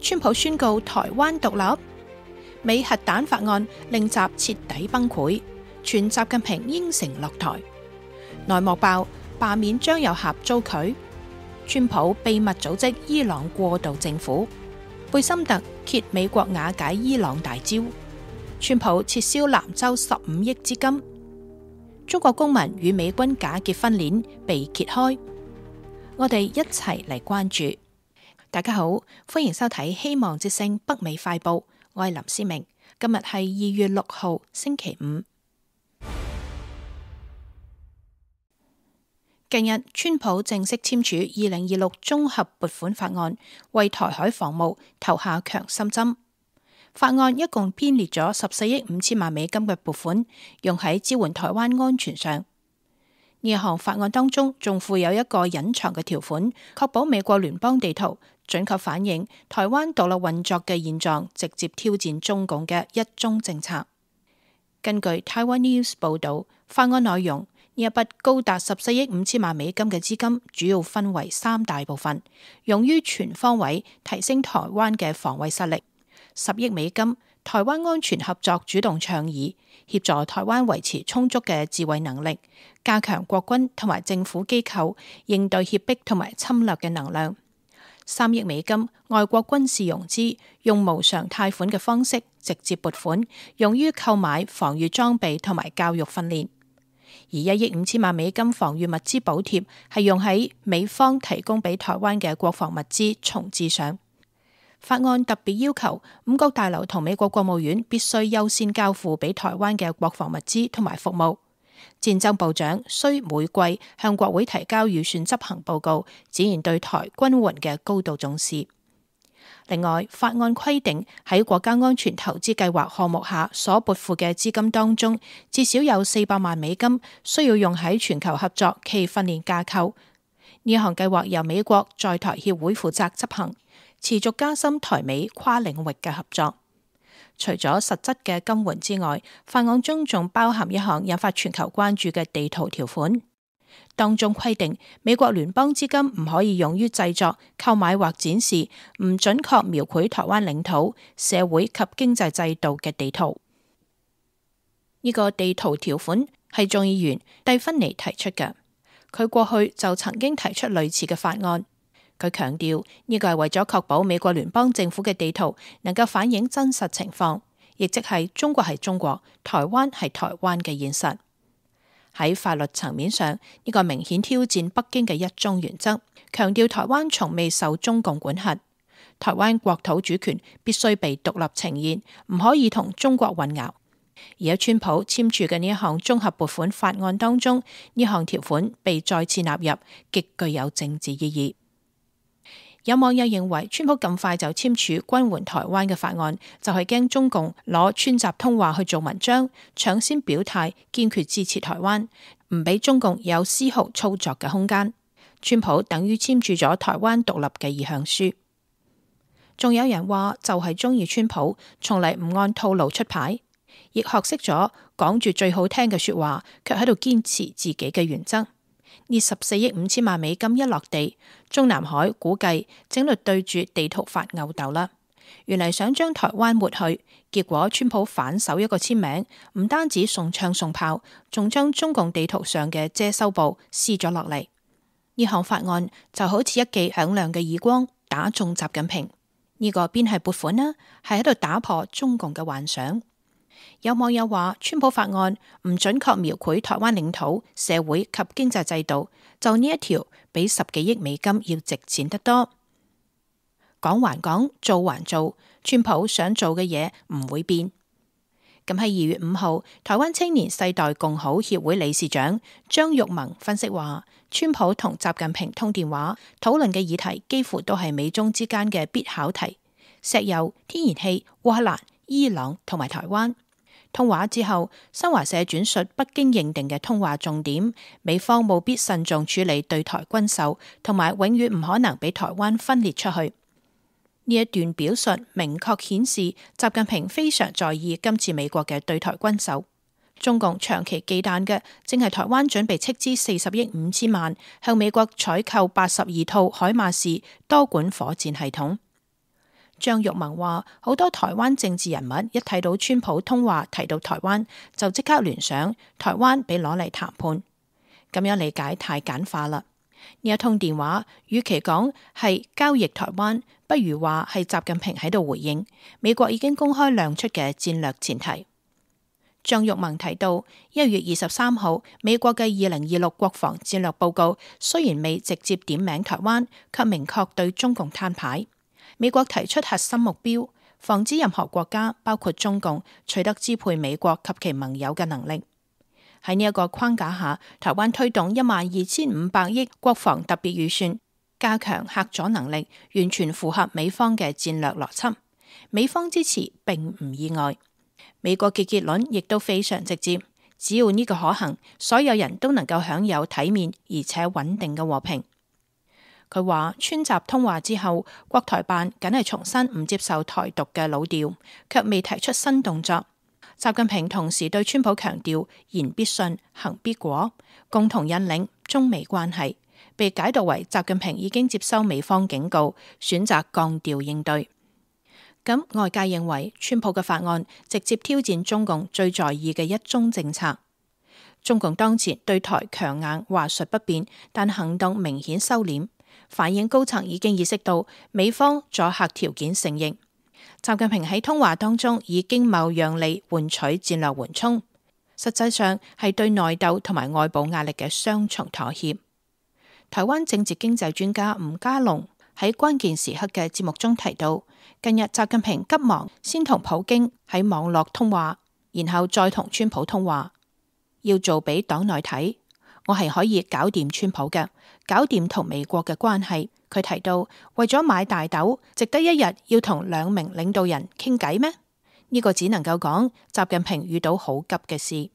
川普宣告台灣獨立，美核彈法案令習徹底崩潰，傳習近平應承落台。內幕爆，罷免張又俠遭拒。川普秘密組織伊朗過渡政府。貝森特揭美國瓦解伊朗大招。川普撤銷南州15億資金。中國公民與美軍假結婚鏈被揭開。我哋一齊嚟關注。大家好，歡迎收睇希望之聲北美快報，我係林思明。今日係2月6號星期五。近日，川普正式簽署2026綜合撥款法案，為台海防務投下強心針。法案一共編列咗14億5千萬美金嘅撥款，用喺支援台灣安全上。呢一項法案當中仲附有一個隱藏嘅條款，確保美國聯邦地圖準確反映台灣獨立運作嘅現狀，直接挑戰中共嘅一中政策。根據 Taiwan News 報道，法案內容，呢一筆高達14億5千萬美金嘅資金，主要分為3大部分，用於全方位提升台灣嘅防衛實力。10億美金，台灣安全合作主動倡議，協助台灣維持充足嘅自衛能力，加強國軍同埋政府機構應對脅迫同埋侵略嘅能量。3億美金，外國軍事融資，用無償貸款嘅方式直接撥款，用於購買防禦裝備同埋教育訓練。而1億5千萬美金防禦物資補貼係用喺美方提供俾台灣嘅國防物資重置上。法案特別要求五角大樓同美國國務院必須優先交付俾台灣嘅國防物資同埋服務。戰爭部長需每季向國會提交預算執行報告，展現對台軍援嘅高度重視。另外，法案規定喺國家安全投資計劃項目下所撥付嘅資金當中，至少有400萬美金需要用喺全球合作暨訓練架構。呢項計劃由美國在台協會負責執行，持續加深台美跨領域嘅合作。除咗實質嘅金援之外，法案中仲包含一項引發全球關注嘅地圖條款，當中規定美國聯邦資金唔可以用於製作、購買或展示唔準確描繪台灣領土、社會及經濟制度嘅地圖。呢個地圖條款係眾議員蒂芬尼提出嘅，佢過去就曾經提出類似嘅法案。佢強調呢個係為咗確保美國聯邦政府嘅地圖能夠反映真實情況，亦即係中國係中國、台灣係台灣嘅現實。喺法律層面上，呢個明顯挑戰北京嘅一中原則，強調台灣從未受中共管轄，台灣國土主權必須被獨立呈現，唔可以同中國混淆。而喺川普簽署嘅呢一項綜合撥款法案當中，呢項條款被再次納入，極具有政治意義。有網友認為，川普咁快就簽署軍援台灣嘅法案，就係驚中共攞川習通話去做文章，搶先表態堅決支持台灣，唔俾中共有絲毫操作嘅空間。川普等於簽署咗台灣獨立嘅意向書。仲有人話就係中意川普，從嚟唔按套路出牌，亦學識咗講住最好聽嘅說話，卻喺度堅持自己嘅原則。呢14億5千萬美金一落地，中南海估計整律對住地圖發吽哣啦。原嚟想將台灣抹去，結果川普反手一個簽名，唔單止送槍送炮，仲將中共地圖上嘅遮羞布撕咗落嚟。呢項法案就好似一記響亮嘅耳光，打中習近平。呢個邊係撥款呢？係喺度打破中共嘅幻想。有網友話，川普法案唔準確描繪台灣領土、社會及經濟制度，就呢一條比10幾億美金要值錢得多。講還講，做還做，川普想做嘅嘢唔會變。咁喺2月5號，台灣青年世代共好協會理事長張玉萌分析話，川普同習近平通電話討論嘅議題幾乎都係美中之間嘅必考題：石油、天然氣、烏克蘭、伊朗同埋台灣。通話之後，新華社轉述北京認定嘅通話重點，美方務必慎重處理對台軍售，同埋永遠唔可能俾台灣分裂出去。呢一段表述明確顯示習近平非常在意今次美國嘅對台軍售。中共長期忌憚嘅，正係台灣準備斥資40億5千萬向美國採購82套海馬士多管火箭系統。張玉萌話：好多台灣政治人物一睇到川普通話提到台灣，就即刻聯想台灣被攞嚟談判，咁樣理解太簡化啦。呢一通電話，與其講係交易台灣，不如話係習近平喺度回應美國已經公開亮出嘅戰略前提。張玉萌提到，1月23號美國嘅2026國防戰略報告雖然未直接點名台灣，卻明確對中共攤牌。美國提出核心目標，防止任何國家，包括中共，取得支配美國及其盟友嘅能力。喺呢一個框架下，台灣推動12500億國防特別預算，加強嚇阻能力，完全符合美方嘅戰略邏輯。美方支持並唔意外。美國嘅結論亦都非常直接，只要呢個可行，所有人都能夠享有體面而且穩定嘅和平。佢話川習通話之後，國台辦僅係重申唔接受台獨嘅老調，卻未提出新動作。習近平同時對川普強調言必信，行必果，共同引領中美關係，被解讀為習近平已經接收美方警告，選擇降調應對。咁外界認為川普嘅法案直接挑戰中共最在意嘅一中政策。中共當前對台強硬話術不變，但行動明顯收斂，反映高層已經意識到美方阻嚇條件成形。習近平喺通話當中以經貿讓利換取戰略緩衝，實際上係對內鬥同埋外部壓力嘅雙重妥協。台灣政治經濟專家吳家龍喺關鍵時刻嘅節目中提到，近日習近平急忙先同普京喺網絡通話，然後再同川普通話，要做俾黨內睇，我係可以搞掂川普嘅，搞掂同美國嘅關係。佢提到，為咗買大豆，值得一日要同2名領導人傾偈咩？呢個只能夠講習近平遇到好急嘅事。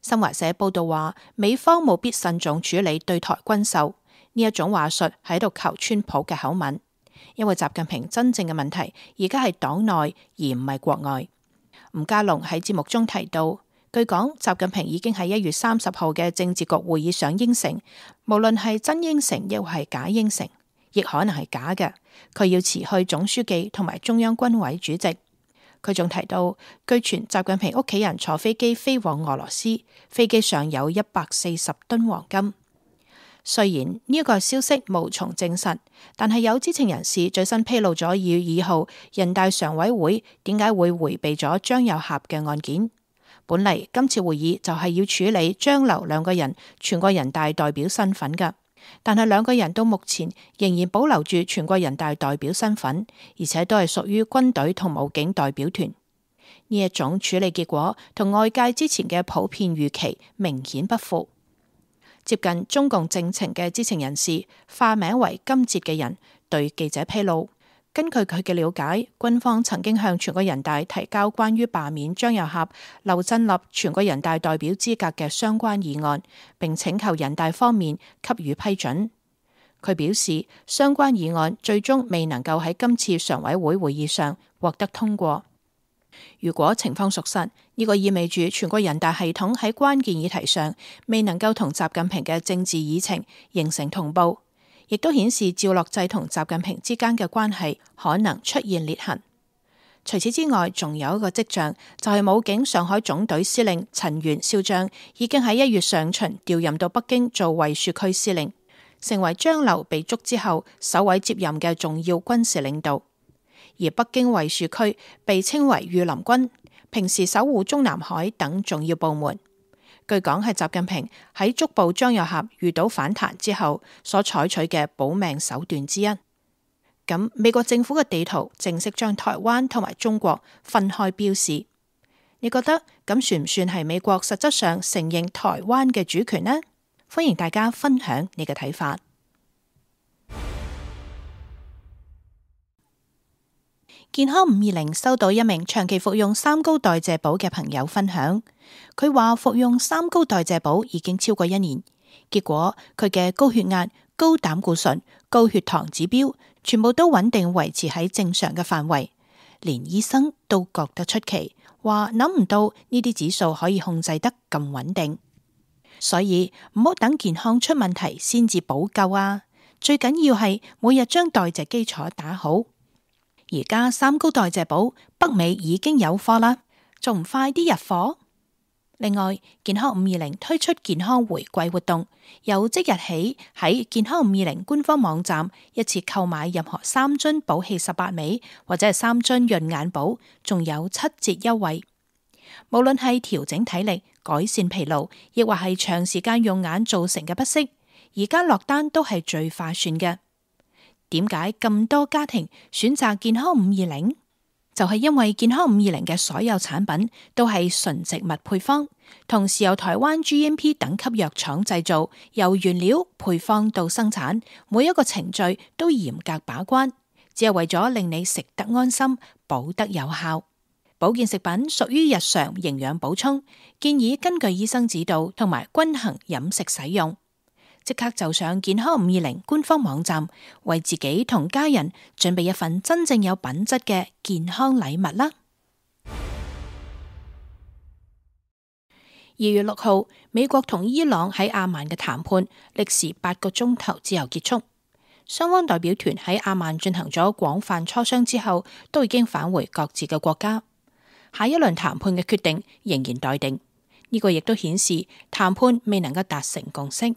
新華社報道話，美方務必慎重處理對台軍售，呢一種話術喺度求川普嘅口吻，因為習近平真正嘅問題而家係黨內而唔係國外。吳家龍喺節目中提到，據講習近平已經喺1月30號嘅政治局會議上應承，無論係真應承亦或係假應承，亦可能係假嘅，佢要辭去總書記同埋中央軍委主席。佢仲提到，據傳習近平屋企人坐飛機飛往俄羅斯，飛機上有140噸黃金。雖然呢個消息無從證實，但係有知情人士最新披露咗2月2號人大常委會點解會迴避咗張又俠嘅案件。本嚟今次會議就係要處理張劉2個人全國人大代表身份㗎。但係2個人到目前仍然保留住全國人大代表身份，而且都係屬於軍隊同武警代表團。呢一種處理結果同外界之前嘅普遍預期明顯不符。接近中共政情嘅知情人士，化名為金哲嘅人對記者披露，根據佢嘅了解，軍方曾經向全國人大提交關於罷免張又俠、劉振立全國人大代表資格嘅相關議案，並請求人大方面給予批准。佢表示，相關議案最終未能夠喺今次常委會會議上獲得通過。如果情況屬實，呢個意味住全國人大系統喺關鍵議題上未能夠同習近平嘅政治議程形成同步，亦都顯示趙樂際同習近平之間嘅關係可能出現裂痕。除此之外，仲有一個跡象，就係武警上海總隊司令陳元少將已經喺1月上旬調任到北京做衛戍區司令，成為張劉被捉之後首位接任嘅重要軍事領導。而北京衛戍區被稱為御林軍，平時守護中南海等重要部門。據講係習近平喺捉捕張又俠遇到反彈之後所採取嘅保命手段之一。咁美國政府嘅地圖正式將台灣同埋中國分開標示，你覺得咁算唔算係美國實質上承認台灣嘅主權呢？歡迎大家分享你嘅睇法。健康520收到一名長期服用三高代謝寶嘅朋友分享，佢話服用三高代謝寶已經超過1年，結果佢嘅高血壓、高膽固醇、高血糖指標全部都穩定維持喺正常嘅範圍，連醫生都覺得出奇，話諗唔到呢啲指數可以控制得咁穩定。所以唔好等健康出問題先至補救啊！最緊要係每日將代謝基礎打好。而家三高代謝寶北美已經有貨啦，仲唔快啲入貨？另外，健康520推出健康回饋活動，由即日起喺健康520官方網站一次購買任何3樽寶氣18味或者係3樽潤眼寶，仲有7折優惠。無論係調整體力、改善疲勞，亦或係長時間用眼造成嘅不適，而家落單都係最划算嘅。點解咁多家庭選擇健康520？就係因為健康520嘅所有產品都係純植物配方，同時由台灣 GMP 等級藥廠製造，由原料配方到生產，每一個程序都嚴格把關，只係為咗令你食得安心，補得有效。保健食品屬於日常營養補充，建議根據醫生指導同埋均衡飲食使用。即刻就上健康520官方網站，為自己同家人準備一份真正有品質嘅健康禮物啦。2月6號，美國同伊朗喺阿曼嘅談判歷時8個鐘頭之後結束，雙方代表團喺阿曼進行咗廣泛磋商之後，都已經返回各自嘅國家。下一輪談判嘅決定仍然待定，呢個亦都顯示談判未能夠達成共識。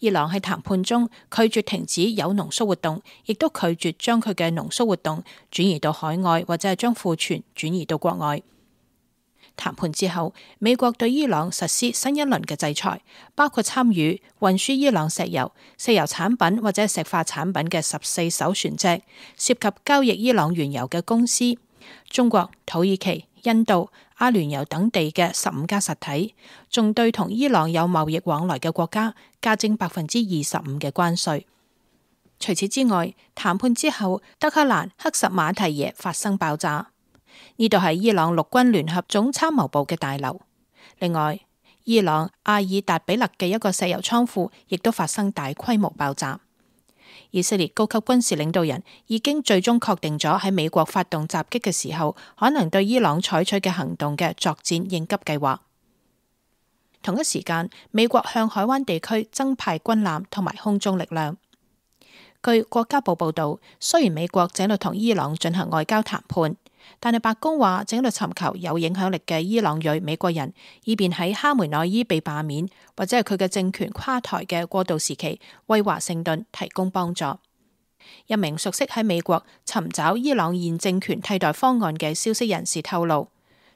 伊朗喺談判中拒絕停止鈾濃縮活動，亦都拒絕將佢嘅濃縮活動轉移到海外，或者係將庫存轉移到國外。談判之後，美國對伊朗實施新一輪嘅制裁，包括參與運輸伊朗石油、石油產品或者石化產品嘅14艘船隻，涉及交易伊朗原油嘅公司、中國、土耳其、印度、阿聯酋等地嘅15家實體，仲對同伊朗有貿易往來嘅國家加徵25%嘅關稅。除此之外，談判之後，德黑蘭克什馬提耶發生爆炸，呢度係伊朗陸軍聯合總參謀部嘅大樓。另外，伊朗阿爾達比勒嘅一個石油倉庫亦都發生大規模爆炸。以色列高級軍事領導人已經最終確定咗喺美國發動襲擊嘅時候，可能對伊朗採取嘅行動嘅作戰應急計劃。同一時間，美國向海灣地區增派軍艦同埋空中力量。據國家報報道，雖然美國正喺度同伊朗進行外交談判，但係白宮話正喺度尋求有影響力嘅伊朗裔美國人，以便喺哈梅內伊被罷免或者係佢嘅政權垮台嘅過渡時期，為華盛頓提供幫助。一名熟悉喺美國尋找伊朗現政權替代方案嘅消息人士透露，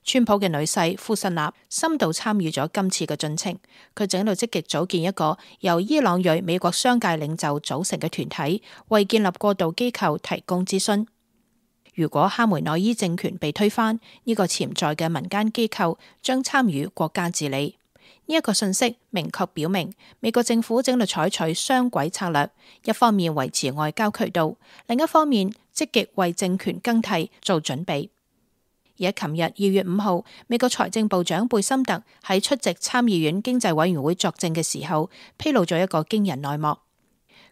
川普嘅女婿庫什納深度參與咗今次嘅進程，佢正喺度積極組建一個由伊朗裔美國商界領袖組成嘅團體，為建立過渡機構提供諮詢。如果哈梅內伊政權被推翻，呢個潛在嘅民間機構將參與國家治理。呢一個信息明確表明，美國政府正喺度採取雙軌策略，一方面維持外交渠道，另一方面積極為政權更替做準備。而喺琴日2月5號，美國財政部長貝森特喺出席參議院經濟委員會作證嘅時候，披露咗一個驚人內幕。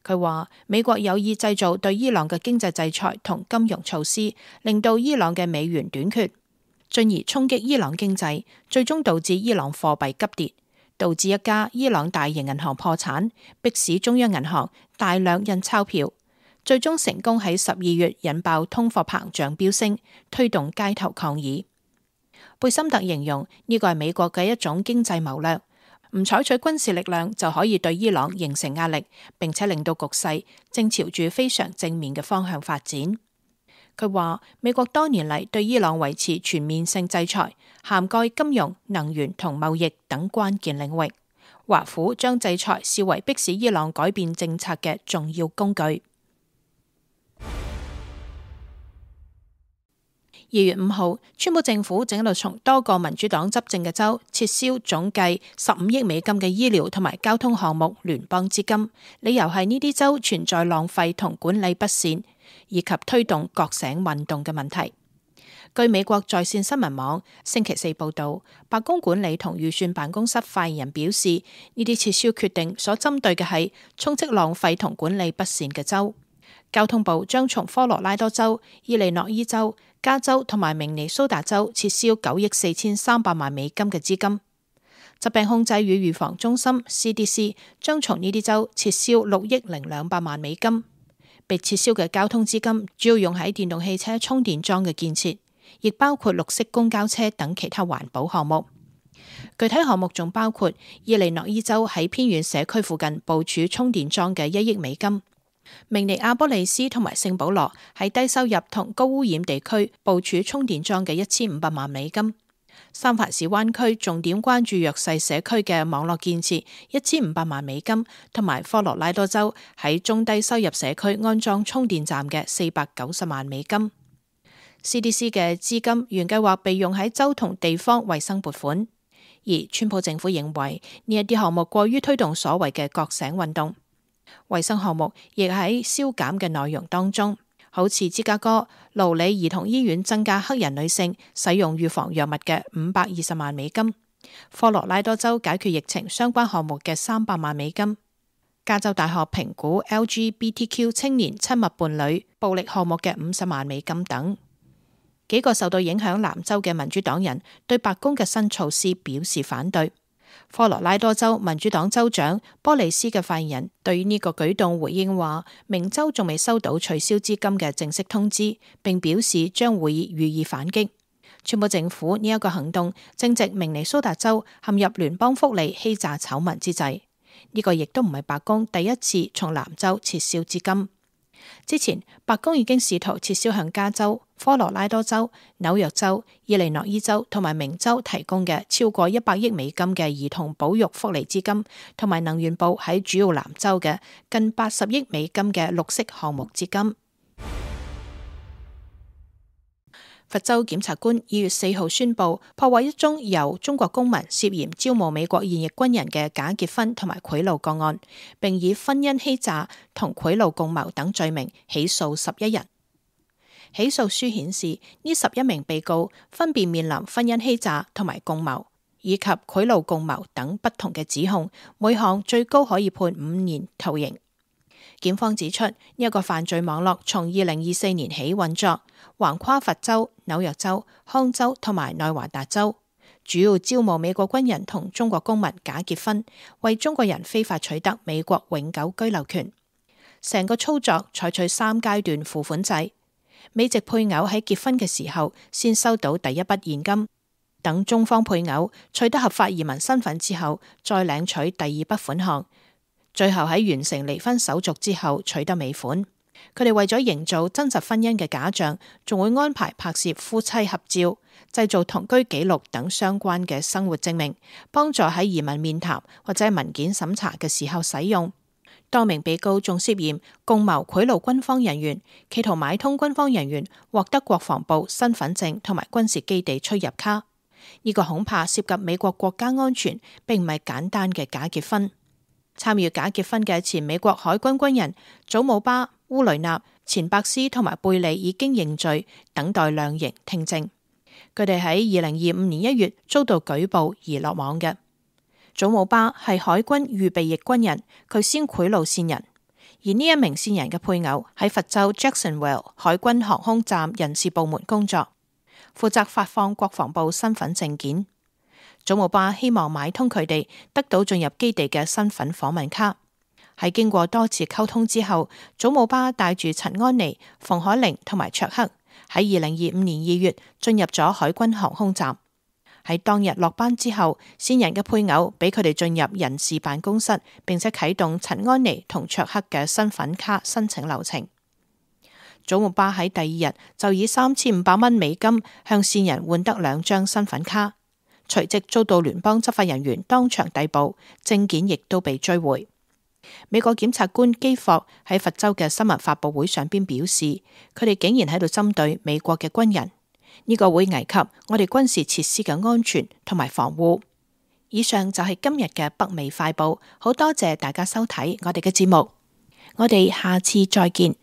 佢話美國有意製造對伊朗嘅經濟制裁同金融措施，令到伊朗嘅美元短缺，進而衝擊伊朗經濟，最終導致伊朗貨幣急跌，導致一家伊朗大型銀行破產，迫使中央銀行大量印鈔票，最終成功喺12月引爆通貨膨脹飆升，推動街頭抗議。貝森特形容呢個係美國嘅一種經濟謀略。唔採取軍事力量就可以對伊朗形成壓力，並且令到局勢正朝住非常正面嘅方向發展。佢話美國多年嚟對伊朗維持全面性制裁，涵蓋金融、能源同貿易等關鍵領域。華府將制裁視為迫使伊朗改變政策嘅重要工具。2月5號，川普政府正喺度從多個民主黨執政嘅州撤銷總計15億美金嘅醫療同埋交通項目聯邦資金，理由係呢啲州存在浪費同管理不善，以及推動覺醒運動嘅問題。據美國在線新聞網星期四報道，白宮管理同預算辦公室發言人表示，呢啲撤銷決定所針對嘅係充斥浪費同管理不善嘅州。交通部將從科羅拉多州、伊利諾伊州、加州同埋明尼蘇達州撤銷9億4300萬美金嘅資金。疾病控制與預防中心 CDC 將從呢啲州撤銷6億0200萬美金。被撤銷嘅交通資金主要用喺電動汽車充電樁嘅建設，亦包括綠色公交車等其他環保項目。具體項目仲包括伊利諾伊州喺偏遠社區附近部署充電樁嘅1億美金，明尼阿波利斯同埋聖保羅喺低收入同高污染地區部署充電樁嘅1500萬美金。三藩市灣區重點關注弱勢社區嘅網絡建設1500萬美金，同埋科羅拉多州喺中低收入社區安裝充電站嘅490萬美金。CDC 嘅資金原計劃被用喺州同地方衛生撥款，而川普政府認為呢一啲項目過於推動所謂嘅覺醒運動。衛生項目亦喺削減嘅內容當中，好似芝加哥勞里兒童醫院增加黑人女性使用預防藥物嘅520萬美金，科羅拉多州解決疫情相關項目嘅300萬美金，加州大學評估 LGBTQ 青年親密伴侶暴力項目嘅50萬美金等。幾個受到影響南州嘅民主黨人對白宮嘅新措施表示反對。科羅拉多州民主黨州長波利斯嘅發言人對於呢個舉動回應話，明州仲未收到取消資金嘅正式通知，並表示將會予以反擊。川普政府呢一個行動正值明尼蘇達州陷入聯邦福利欺詐醜聞之際，呢個亦都唔係白宮第一次從南州撤銷資金。之前白宮已經試圖撤銷向加州、科羅拉多州、紐約州、伊利諾伊州同埋明州提供嘅超過100億美金嘅兒童保育福利資金，同埋能源部喺主要南州嘅近80億美金嘅綠色項目資金。佛州檢察官2月4號宣布破獲一宗由中國公民涉嫌招募美國現役軍人嘅假結婚同埋賄賂個案，並以婚姻欺詐同賄賂共謀等罪名起訴11人。起訴書顯示，呢11名被告分別面臨婚姻欺詐同埋共謀以及賄賂共謀等不同嘅指控，每項最高可以判5年徒刑。檢方指出，呢一個犯罪網絡從2024年起運作，橫跨佛州、紐約州、康州同埋內華達州，主要招募美國軍人同中國公民假結婚，為中國人非法取得美國永久居留權。成個操作採取3階段付款制，美籍配偶喺結婚嘅時候先收到第一筆現金，等中方配偶取得合法移民身份之後，再領取第2筆款項。最後喺完成離婚手續之後取得尾款。佢哋為咗營造真實婚姻嘅假象，仲會安排拍攝夫妻合照、製造同居記錄等相關嘅生活證明，幫助喺移民面談或者文件審查嘅時候使用。多名被告仲涉嫌共謀賄賂軍方人員，企圖買通軍方人員獲得國防部身份證同埋軍事基地出入卡。呢個恐怕涉及美國國家安全，並唔係簡單嘅假結婚。參與假結婚嘅前美國海軍軍人祖姆巴、烏雷納、錢伯斯同埋貝利已經認罪，等待量刑聽證。佢哋喺2025年1月遭到舉報而落網嘅。祖姆巴係海軍預備役軍人，佢先賄賂線人，而呢一名線人嘅配偶喺佛州 Jacksonville 海軍航空站人事部門工作，負責發放國防部身份證件。祖姆巴希望買通佢哋，得到進入基地嘅身份訪問卡。喺經過多次溝通之後，祖姆巴帶住陳安妮、馮海玲同埋卓克喺2025年2月進入咗海軍航空站。喺當日落班之後，線人嘅配偶俾佢哋進入人事辦公室，並且啟動陳安妮同卓克嘅身份卡申請流程。祖姆巴喺第2日就以3500蚊美金向線人換得2張身份卡。隨即遭到聯邦執法人員當場逮捕，證件亦都被追回。美國檢察官基霍喺佛州嘅新聞發佈會上邊表示，佢哋竟然喺度針對美國嘅軍人，呢個會危及我哋軍事設施嘅安全同埋防護。以上就係今日嘅北美快報，好多謝大家收睇我哋嘅節目，我哋下次再見。